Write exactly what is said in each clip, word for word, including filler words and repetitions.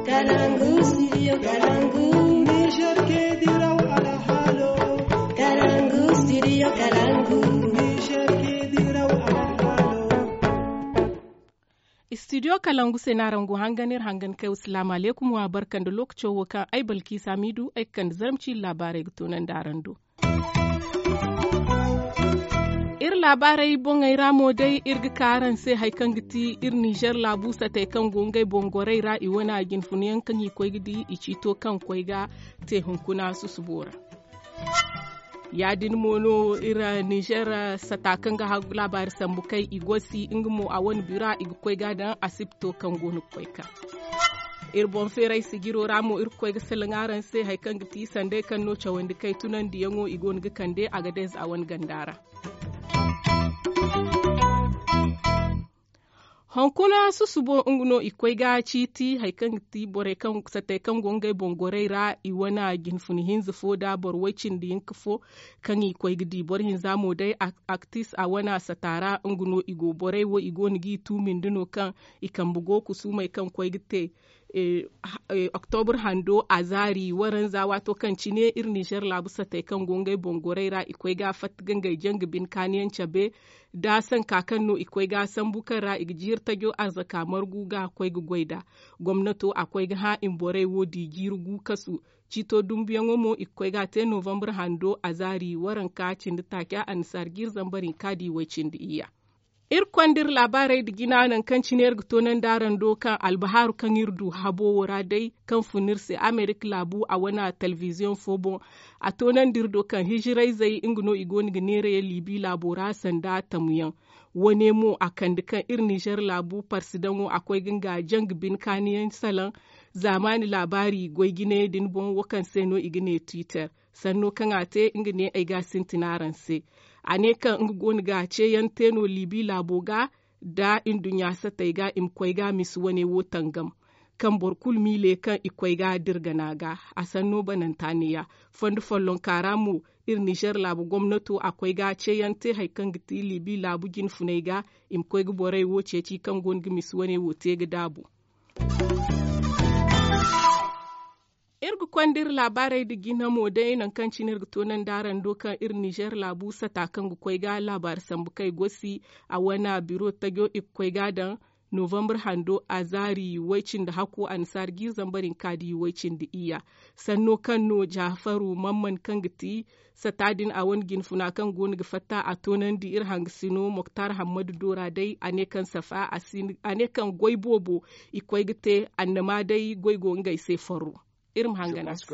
Kalangu, studio Kalangu. Niger ke diraw alhalo. Kalangu, studio Kalangu. Niger ke diraw alhalo. Studio Kalangu se no araŋ go hangan iri hangan kay wa salaamu alaykum wa barka nda lookaco wo kaŋ ay balkiisa miidu ay ga kande zarma ciiri laabaarey ga toonandi araŋ do. Iri laabaarey boŋey ra mo day iri ga ka araŋ se hari kaŋ ga ti iri nizer laabu satey kaŋ go ngey boŋ gorey ra i wane a jinfuna yaŋ kaŋ i koy ga di i ciito kaŋ koy ga te hunkuna susubo ra. Ya- din mo no iri nizer sata kaŋ ga hagu laabaari sambu kay i gosi nga mo a wane bira i ga koy ga daŋ asibto kaŋ go no ga koy ka iri boŋ feeray sijiro ra mo iri ga koy ga salaŋ araŋ se hari kaŋ ga ti sandey kaŋ no cawandi kay tunandiyaŋo i go no ga kande a ga dayze a wane ganda ra. Hunkuna susubo nga no i koy ga ciiti hari kaŋ ga ti borey kaŋ satey kaŋ go ngey boŋ gorey ra i wane jinfuna hinza fo nda boro way cindi hinka fo kaŋ i koy ga di boro hinza mo day aktis a wane sata ra nga no i go borey wo i go no g'i tuumindi no kaŋ i kambe go kusuumey kaŋ koy ga te. Oktobur hando a zaari waranza waato kaŋ cine iri nizer laabu satey kaŋ go ngey boŋ gorey ra i koy ga fatta ga ngey janga bine kaaniyaŋ cabe da sanka kaŋ no i koy ga sambu kaŋ ra i ga jiiri tajo arzaka margu ga koy ga goy nd'a. Gomnato a koy ga hã i ma borey wo di jiiri gu kasu. Ciito dumbuyaŋo mo i ga koy ga a te novambar hando a zaari waranka cindi taaca annasaara jiiri zambar hinka da i way cindi iyya. Iri konda iri laabaarey nda jina nangu kaŋ cine iri ga toonandi araŋ do kaŋ albahaaru kaŋ iri du habo wo ra day kaŋ fun iri se amerika laabu a wane telebiziyoŋ fo boŋ. A toonandi iri do kaŋ hijirayzey nga no i go no ga neerayaŋ liibi laabo ra sanda tamuyaŋ. Wane mo a kande kaŋ iri nizer laabu parsidaŋo a koy ga nga janga bine kaaniyaŋ salaŋ zaamaani laabaari goy jinayey din boŋ wo kaŋ se no i ga ne twitter. Sanno kaŋ a te nga ne ay ga a sintin araŋ se. A ne kaŋ nga go no ga ceeyaŋ te no liibi laabo ga nda nduɲɲa satey ga i ma koy ga misi wane wo tangam kaŋ boro kulu miile kaŋ i koy ga dirgana ga. A sanno bananta neeya fondo follonka ra mo iri nizer laabu gomnato a koy ga ceeyaŋ te hari kaŋ ga ti liibi laabu jinfuney ga i ma koy ga borey wo ceeci kaŋ go no ga misi wane wo te ga daabu. Iri ga konda iri laabaarey nda jina mo day nangu kaŋ cine iri ga toonandi araŋ do kaŋ iri nizer laabu sata kaŋ ga koy ga laabaari sambu kay gosi a wane biro tajo i ga koy ga daŋ novambar hando a zaari way-cindi hakku annasaara jiiri zambar hinka da i way-cindi iyya. Sanno kaŋ no jafaru mamman kaŋ ga ti sata din a wane jinfuna kaŋ go no ga fatta a toonandi iri hangasino moktar hammadu do ra day a ne kaŋ safa a ne kaŋ goy boobo i koy ga te annama day goy go ngey se farro. Iri ma hangan a se.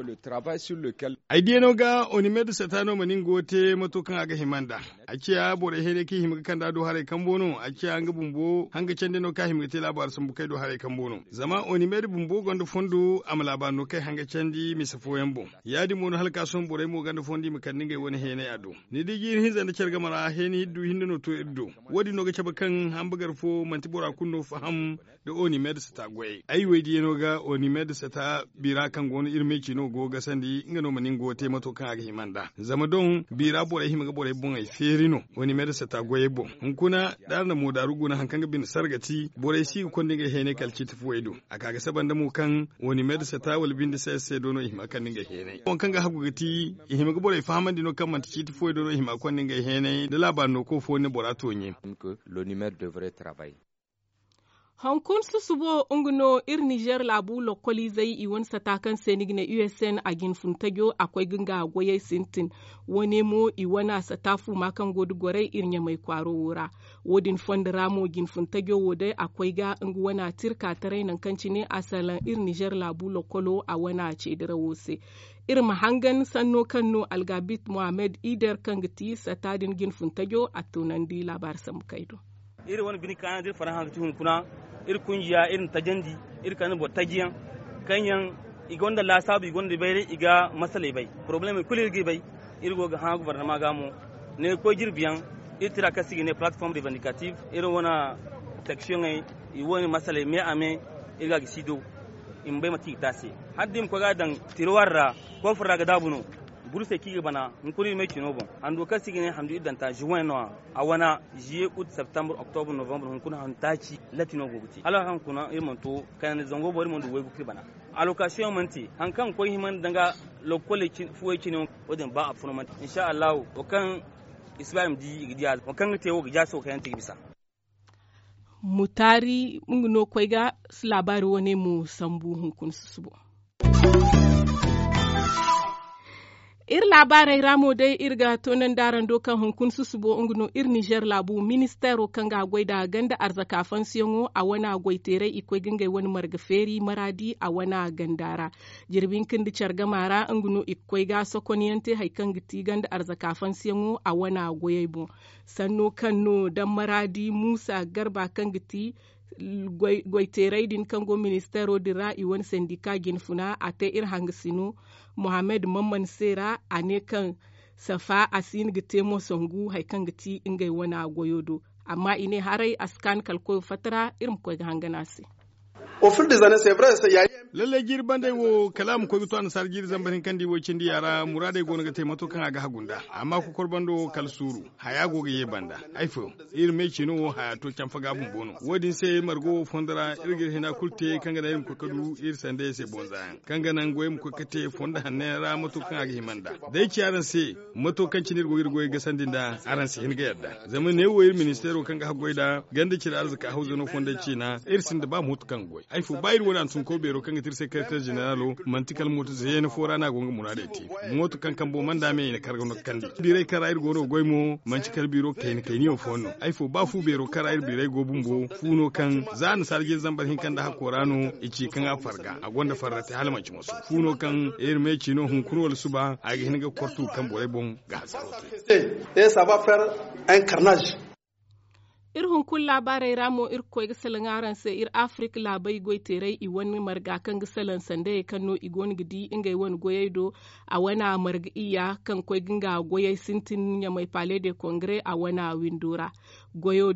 Ay diyano ga onimed sata no mana nga wo te mato kaŋ a ga hima nd'a. A ciya borey heenay kaŋ i hima ga kand'a do haray kambo no a ciya nga bumbo hanga candi no kaŋ a hima ga te laabaari sambu kay do haray kambo no zama onimed bumbo gonda fondo a ma laabaari no kay hanga candi mise fooyaŋ boŋ. Ya- din mo no hala ka sohõ borey mo gonda fondo i ma kande ngey wane heenay a do. Ni di jiiri hinza nda care game ra heeni iddu hinne no to iri do. Wo- din no ga cabe kaŋ hambagar fo manti bora kulu no faham nda onimed sata goyey ay wey diyano ga onimed sata bira kaŋ go no iri me ci no go ga gasandi nga no ma nin go te mato kaŋ a ga hima nd'a zama doŋ bira borey hima ga borey boŋey feeri no. Onimed sata goyey boŋ hunkuna da araŋ na moodaaru guna hari kaŋ ga bine sarga ti borey si ga konda ngey heenay kala ciiti fuwey do. A ka ga saba nda mo kaŋ onimed sata wala binde se se do no i hima ga kande ngey heenay waŋ kaŋ ga hagu ga ti i hima ga borey fahamandi no kaŋ manti ciiti fuwey do no i hima ga konda ngey heenay nda laabaari no ko fo ne bora tooɲe. L'onimed devrait travailler. Hunkuna susubo nga no iri nizer laabu lokoliizey i wane sata kaŋ se ni ga ne usn a jinfun tajo a koy ga nga goyey sintin. Wane mo i wane a sata fuuma kaŋ go da gorey iri ɲamay kwaaro wo ra. Wo- din fondo ra mo jinfun tajo wo day a koy ga nga wane a tirka taray nangu kaŋ cine a salaŋ iri nizer laabu lokolo a wane a ceedirawo se. Iri ma hangan sanno kaŋ no algabit mohammed ider kaŋ ga ti sata din jinfun tajo a toonandi laabaari sambu kay do. Iri wane bine kaana da iri faraŋ haŋ ga ti hunkuna iri kunjiya iri na tajandi iri kande boro tajiyaŋ kaŋ yaŋ i gonda laasaabu i gonda bayray i ga masaley bay. Porobalemey kulu iri g'i bay. Iri go ga hã gobornama ga mo ne ga koy jirbi yaŋ. Iri tira kaŋ se i ga ne palatform revendicative iri wane seksiyoŋey i wane masaley me a me iri ga a ga si do. I ma bay mate i ga te a se hala da i ma koy ga a daŋ tirwar ra koofur ra ga daabu no. Burusey kaŋ i ga bana hunkuna iri me cino boŋ handu kaŋ se i ga ne handu iddanta juwen no- ya a wane, ziye ut septembre octobre novembre hunkuna handu taaci latti no go ga te hala haŋ kuna iri mana to kayandi zango boŋ iri mana du waygu kaŋ iri bana. Alokasiyoŋ mana te hari kaŋ ga koy hima nda nga lokol fuwey cine wo- din ba a funa mana te insa allahu. Wo kaŋ i si ba i ma di i ga di a wo kaŋ ga te wo ga jaasi wo kayandi te ga bisa. Mutaari nga no koy ga laabaari wane mo sambu hunkuna susubo. Iri laabaarey ra mo day iri ga toonandi araŋ do kaŋ hunkuna susubo nga no iri nizer laabu ministeero kaŋ ga a goy nda ganda arzaka fansiyaŋo a wane goyteerey i koy ga ngey wane marga feeri maraadi a wane ganda ra. Jirbi hinka nda care gama ra nga no i ga koy ga sokonyaŋ te hari kaŋ ga ti ganda arzaka fansiyaŋo a wane goyey boŋ. Sanno kaŋ no dammaraadi muusa garba kaŋ ga ti goyteerey din kaŋ go ministeero din ra i wane sendika jinfuna a te iri hangasino mohammed mamman se ra a ne kaŋ safa a si hin ga te mo sangu hari kaŋ ga ti ngey wane goyo do. Amma i ne haray a si kaanu kala koyo fatta ra iri ma koy ga hangan a se. Lallay jiiri bandey wo kala a ma koy ga to annasaara jiiri zambar hinka nda i wo cindi ya ra muraadey go no ga te mato kaŋ a ga hagu nd'a. Amma kokor bando kala suuru haya go ga ye banda. Ay fo iri me cino wo haya to canfa ga bumbo no wo- din se margo wo fondo ra iri ga iri hina kulu te kaŋ ga naŋ iri ma koy ga du iri sandayey se bonza yaŋ kaŋ ga naŋ goyey ma koy ga te fondo hanno yaŋ ra mato kaŋ a ga hima nd'a. Day ci araŋ se mato kaŋ cine iri go ga iri goyey gasandi nd'a araŋ si hin ga yadda. Zama neewo iri ministeero kaŋ ga haggoy nd'a ganda cire arzaka hawza no fondey ciina iri sinda ba mooto kaŋ ga goy. Ay fo ba iri wane hantumko beero kaŋ ga ti iri sekereteer zeneraalo manti kala mooto zeena fo ra no a go nga muraadey te. Mooto kaŋ kambo mana nd'a me i na kar ga no ga kandi biirey kaŋ ra iri go no ga goy mo manti kala biiro kayna kayniyaŋ fooyaŋ no. Ay fo ba fu beero kaŋ ra iri biirey go bumbo fu no kaŋ za annasaara jiiri zambar hinka nda hakko ra no i ci kaŋ a farga a gonda farra te hala manti moso fu no kaŋ iri me ci no hunkuna wala suba a ga hin ga kortu kaŋ borey boŋ ga hasaro te. Iri hunkuna laabaarey ra mo iri ga koy ga salaŋ araŋ se iri afirik laabey goyteerey i wane marga kaŋ ga salaŋ sandayey kaŋ no i go no ga di ngey wane goyey do. A wane marga iyya kaŋ koy ga nga goyey sintin ɲamay pale de kongre a wane windo ra. Goyo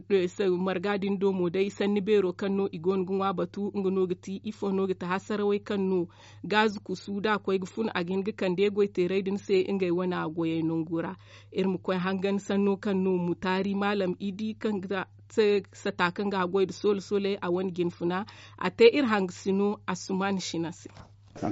marga din do mo day sanni beero kaŋ no i go no ga ŋwa batu nga no ga ti ifo no ga ti hasarawey kaŋ no gaazu kusu da a koy ga fun a ga hin ga kande goyteerey din se ngey wane goyey nangu ra. Iri ma koy hangan sanno kaŋ no mutaari maalam idi kaŋ ga sata kaŋ ga a goy nda soola sooley a wane jinfuna a te iri hangasino asuman sina se. Da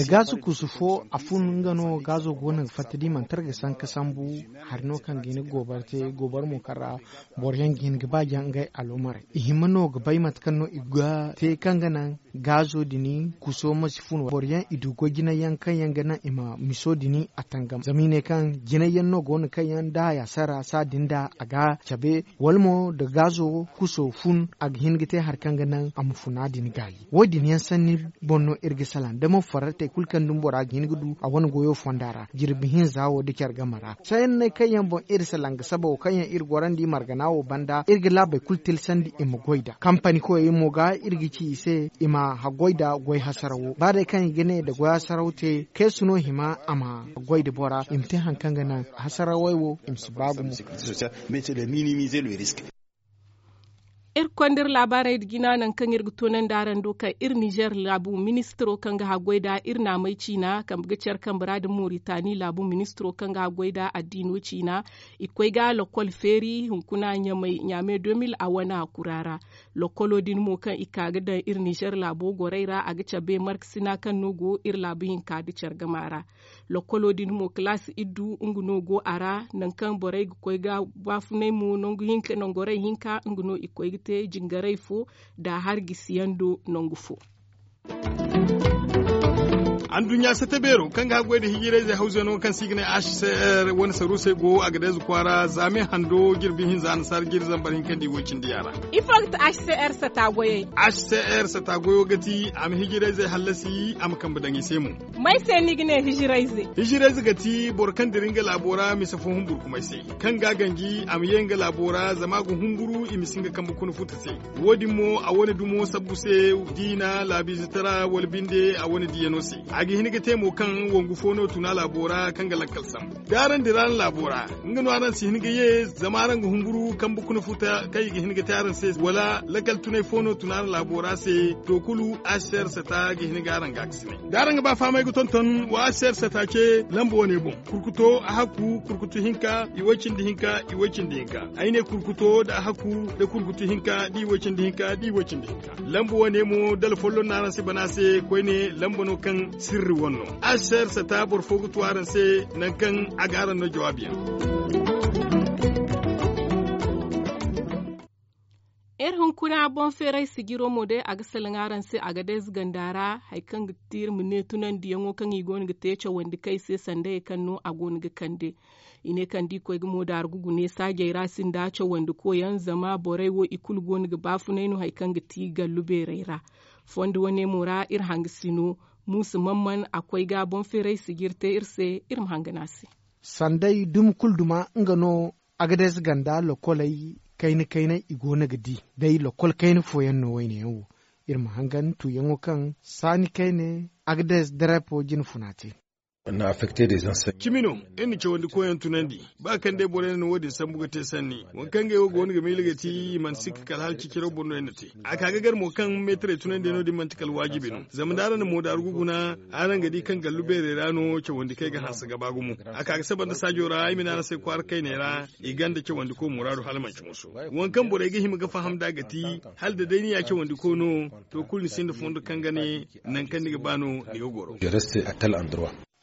gaazu kusu fo a fun nga no gaazo go no ga fatta da i mana tara ga sanka sambu. Hari no kaŋ ga hin ga goobara te goobara mo kaŋ ra boro yaŋ ga hin ga ba jaŋ ngey alomarey i hima no ga bay mate kaŋ no i ga te kaŋ ga naŋ gaazo din kuso ma si fun boro yaŋ i du goy jinay yaŋ kaŋ yaŋ ga naŋ i ma miso din a tangam zama i ne kaŋ jinay yaŋ no go no kaŋ yaŋ da haya sara saa din da a ga cabe wala mo da gaazo kuso fun a ga hin ga te hari kaŋ ga naŋ a ma funa din gaayi. Wo- din yaŋ sanni boŋ no iri ga salaŋ da mo farratey kulu kaŋ dumi bora ga hin ga du a wane goyo fonda ra jirbi hinza wo da care game ra. Sahanney kaŋ yaŋ boŋ iri salaŋ ga saba wo kaŋ yaŋ iri gorandi margana wo banda iri ga laabey kulu tilsandi i ma goy nd'a kampani koyey mo ga iri ga ci i se i ma haggoy nd'a goy hasarawo ba day kaŋ i ga ne nda goy hasarawo te keesu no hima a ma goy nda bora i ma te hari kaŋ ga naŋ hasarawey wo i ma si ba gumo. Iri konda iri laabaarey nda jina nangu kaŋ iri ga toonandi araŋ do kaŋ iri nizer laabu ministiro kaŋ ga haggoy nda iri naamey ciina kambe ga care kambe ra nda moritani laabu ministiro kaŋ ga haggoy nda addiino ciina i koy ga lokol feeri hunkuna ɲaame deux mille a wane kura ra. Lokolo din mo kaŋ i ka ga daŋ iri nizer laabo gorey ra a ga cabe markasina kaŋ no go iri laabu hinka nda care gama ra. Lokolo din mo kalaasi iddu nga no go a ra nangu kaŋ borey ga koy ga baafunay mo nangu hinka nangu gorey hinka nga no i koy ga te jingaray fo nda hari gisiyaŋ do nangu fo. Anduɲɲa sata beero kaŋ ga haggoy nda hijirayzey hawzey no kaŋ se i ga ne h c r wane saruusey go a ga deeza kwaara zaame hando jirbi hinza annasaara jiri zambar hinka nda i woy cindi yaŋ ra. Ifo ga ti h c r sata goyey? H c r sata goyo ga ti a ma hijirayzey hallasi a ma kambe daŋ i se mo. May se ni ga ne hijirayze? Hijirayze ga ti boro kaŋ dira nga laabo ra mise fo humburkumay se kaŋ ga a ganji a ma ye nga laabo ra zama a ga humburu i ma si nga kambe kuna futa se. Wo- din mo a wane dumo sabbu se diina laabiize tara wala binde a wane diyano se. A ga hin ga te mo kaŋ wangu fo no tuna laabo ra kaŋ ga lakkal sambu da araŋ dira araŋ laabo ra. Nga no araŋ si hin ga ye zama araŋ ga humburu kambe kuna futa kaŋ i ga hin ga te araŋ se wala lakkal tunay fo no tuna araŋ laabo ra se. To kulu asser sata ga hin ga araŋ ga a ga sinay da araŋ ga ba fahamay ga tonton wa asser sata ce lamba wane boŋ. Kurkuto a hakku kurkutu hinka i way cindi hinka i way cindi hinka. Ay ne kurkuto da a hakku da kurkutu hinka da i way cindi hinka da i way cindi hinka. Lamba wane mo dala folloŋ no araŋ si bana se koyne lamba no kaŋ sirri wane no. Asser sata boro fo ga tu araŋ se nangu kaŋ a ga araŋ no jawaabi yaŋ. Iri hunkuna boŋ feeray sijiro mo day a ga salaŋ araŋ se a ga day ze ganda ra. Hari kaŋ ga ti iri ma ne tunandiyaŋo kaŋ i go no ga te cawandi kay se sanda hari kaŋ no a go no ga kande. I ne kaŋ da i koy ga moodaari gugu ne saajey ra sinda cawandi koyaŋ zama borey wo i kulu go no ga baafunay no hari kaŋ ga ti gallu beerey ra. Fondo wane mo ra iri hangasino muusa man man a koy ga boŋ feeray sijiri te iri se. Iri ma hangan a se. Sanday dumi kulu duma nga no. Agades ganda lokoley kayna kayna i go no ga di day lokol kayna fooyaŋ no wayne yaŋ wo. Iri ma hangan tuuyaŋo kaŋ saani kayne agades darepo jine funa te. Cimi no iri na cawandi koyaŋ tunandi. Ba kaŋ day boro yaŋ na wo- din sambu ga te sanni waŋ kaŋ ngey wo go no ga miila ga ti i mana sikka kala hala ciciro boŋ no yaŋ na te. A ka ga gar mo kaŋ meetarey tunandiyaŋo din manti kala waajibi no zama da araŋ na moodaaru ga guna araŋ ga di kaŋ gallu beerey ra no cawandi kaŋ ay ga hanse ga ba gumo. A ka ga saba nda saajo ra ay ma ne araŋ se kwaara kayney ra i gonda cawandi koy muraadu hala manci musu. Waŋ kaŋ borey ga hima ga faham nd'a ga ti hala da day ni ya cawandi koy no. To kulu ni sinda fondo kaŋ ga ne nangu kaŋ ni ga ba no ni ga goro.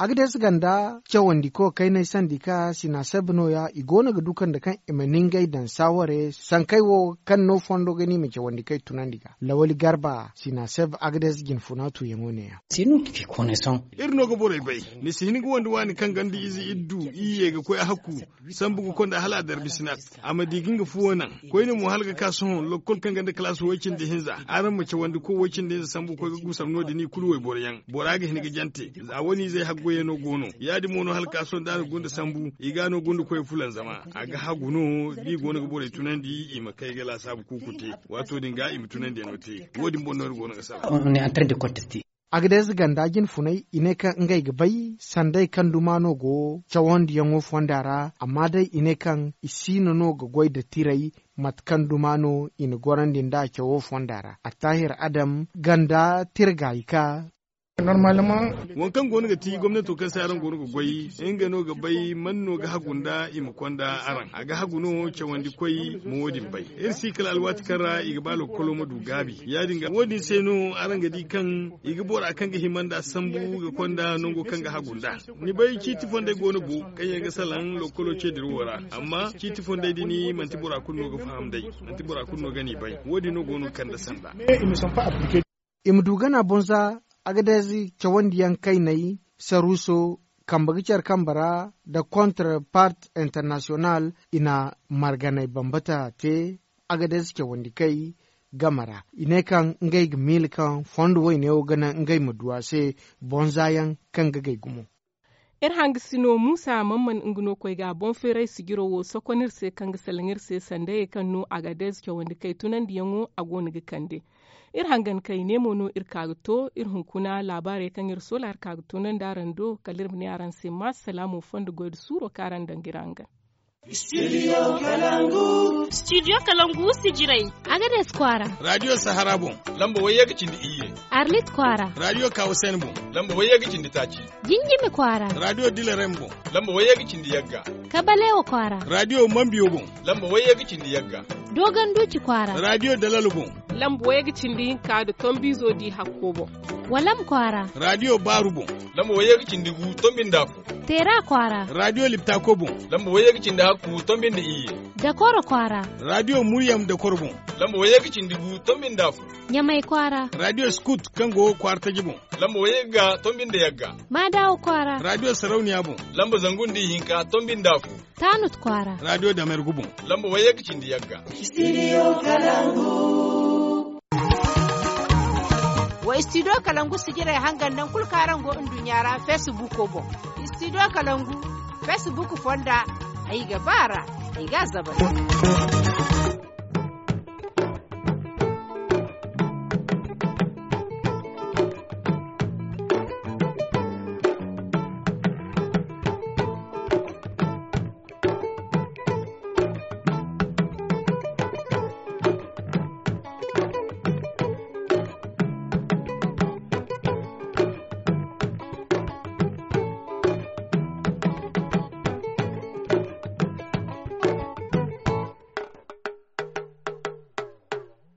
Agades ganda cawandiko kaynay sandi ka sinaseb no- ya i go no ga du kande kaŋ i ma ningay daŋ saaware sankey wo kaŋ no fondo ga ni ma cawandi kay tunandi ga lawali garba sinaseb agades jinfuna tuuyaŋo ne- ya. Iri no ga borey bay ni si hin ga wande waani kaŋ ganda ize iri du iri ye ga koy a hakku sambu ga konda hala a darbi sinat. A ma di ga nga fuwo naŋ koyne mo hala ga ka sohõ lokkol kaŋ ganda kalaas way-cindi-hinza araŋ ma cawandi koy way-cindi-hinza sambu ga koy ga gusam no- din i kulu wayboro yaŋ bora ga hin ga jante. Za wane izey haggoyey no go no ya- din mo no hala ga ka sohõ da a na gunda sambu i ga no gunda koy fulanzama a ga hagu no da i go no ga borey tunandi i ma kay ga laasaabu kuuku te. Waato din ga i ma tunandiyaŋo te wo- din boŋ no iri go no ga sara. Agades ganda jinfunay i ne kaŋ ngey ga bay sanday kaŋ duma no go cawandiyaŋo fonda ra amma day i ne kaŋ i siino no ga goy nda tiray mate kaŋ duma no i na gorandi nda cawo fonda ra attahir adam ganda tirgaayi ka. Waŋ kaŋ go no ga ti gomnato kaŋ se araŋ go no ga goy nga no ga bay man no ga hagu nda i ma konda araŋ a ga hagu no cawandi koy ma wo- din bay. Iri si kala alwaati kaŋ ra i ga ba lokkolo ma du gaabi ya- din ga wo- din se no araŋ ga di kaŋ i ga bora kaŋ ga hima nda sambu ga konda nango kaŋ ga hagu nda. Ni bay ciiti fondey go no bo kaŋ yaŋ ga salaŋ lokkolo ce dira wo ra amma ciiti fondey din manti bora kulu no ga faham day. Manti bora kulu no ga ni bay wo- din no go no ga kande sanda. I ma du gana bonza agades cawandiyaŋ kayney saruuso kambe ga care kambe ra nda kontrepart internasiyonal i na marganey bambata te agades cawandi kay game ra i ne kaŋ ngey ga miila kaŋ fondo wayne wo ga naŋ ngey ma du a se bonza yaŋ kaŋ ga gay gumo. Iri hangasino muusa man man nga no koy ga boŋ feeray sijiro wo sokon iri se kaŋ ga salaŋ iri se sanda ye kaŋ no agades cawandi kay tunandiyaŋo a go no ga kande. Iri hangan kay ne mo no iri ka ga to iri hunkuna laabaarey kaŋ iri soola iri ka ga to naŋ da araŋ do kala iri ma ne araŋ se maasalaamo fondo goy nda suuro kaŋ araŋ daŋ ga iri hangan. Studio kalangu sijirey. Agades kwaara. Radiyo sahara boŋ. Lamba wayye ga cindi iyye. Arlit kwaara. Radiyo kawusen boŋ. Lamba wayye ga cindi taaci. Jinjimi kwaara. Radiyo dilarem boŋ. Lamba wayye ga cindi yagga. Kabalewo kwaara. Radiyo mambiyo boŋ. Lamba wayye ga cindi yagga. Dogon duuci kwaara. Radiyo dalal boŋ. Lamba wayye ga cindi hinka nda tombiizo di hakko boŋ. Walam kwaara. Radiyo baaru boŋ. Lamba wayye ga cindi gu tombi nda afo. Teera kwaara. Radiyo liptako boŋ. Lamba wayye ga cindi hakku tombi nda iyye. Dakoro kwaara. Radiyo muryam dakoro boŋ. Lamba wayye ga cindi gu tombi nda afo. Ɲamay kwaara. Radiyo skut kaŋ go kwaara taji boŋ. Lamba wayye ga tombi nda yagga. Maadawo kwaara. Radiyo sarauniya boŋ. Lamba zangu nda ihinka tombi nda afo. Taanut kwaara. Radiyo damergu boŋ. Lamba wayye ga cindi yagga. Studio kalangu. Wa studio kalangu sijirey hangan naŋ kulu kaŋ araŋ go nduɲɲa ra facebook boŋ. Studio kalangu facebook fonda. Ay ga ba ra. Ay ga a zabari.